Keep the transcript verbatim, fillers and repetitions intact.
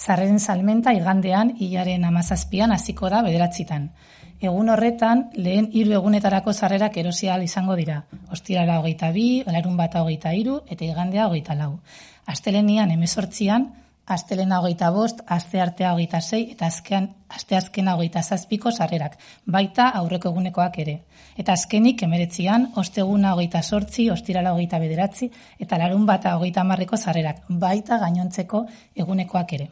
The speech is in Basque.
Sarreren salmenta igandean hilaren hamazazpian hasiko da bederatzitan. Egun horretan, lehen hiru egunetarako sarrerak erosi ahal izango dira. Ostirala hogeita bi, larunbata hogeita hiru eta igandea hogeita lau. Astelenian hemezortzian, astelena hogeita bost, asteartea hogeita sei eta azkean asteazkena hogeita zazpiko sarrerak, baita aurreko egunekoak ere. Eta azkenik hemeretzian, osteguna hogeita zortzi, ostirala hogeita bederatzi eta larunbata hogeita hamarreko sarrerak, baita gainontzeko egunekoak ere.